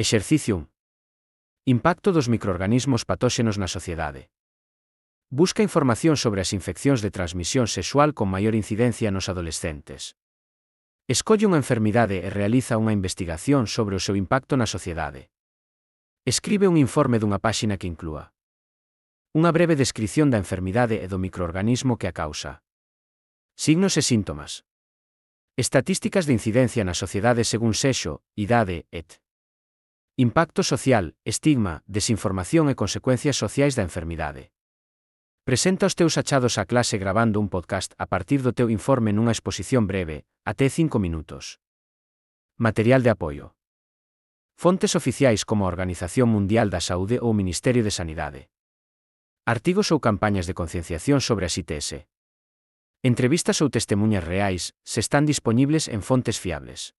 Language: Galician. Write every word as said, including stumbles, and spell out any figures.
Exercicio un. Impacto dos microorganismos patóxenos na sociedade. Busca información sobre as infeccións de transmisión sexual con maior incidencia nos adolescentes. Escolle unha enfermidade e realiza unha investigación sobre o seu impacto na sociedade. Escribe un informe dunha páxina que inclúa unha breve descrición da enfermidade e do microorganismo que a causa. Signos e síntomas. Estatísticas de incidencia na sociedade según sexo, idade, et. Impacto social, estigma, desinformación e consecuencias sociais da enfermidade. Presenta os teus achados á clase gravando un podcast a partir do teu informe nunha exposición breve, até cinco minutos. Material de apoio. Fontes oficiais como a Organización Mundial da Saúde ou o Ministerio de Sanidade. Artigos ou campañas de concienciación sobre as I T S. Entrevistas ou testemuñas reais, se están dispoñibles en fontes fiables.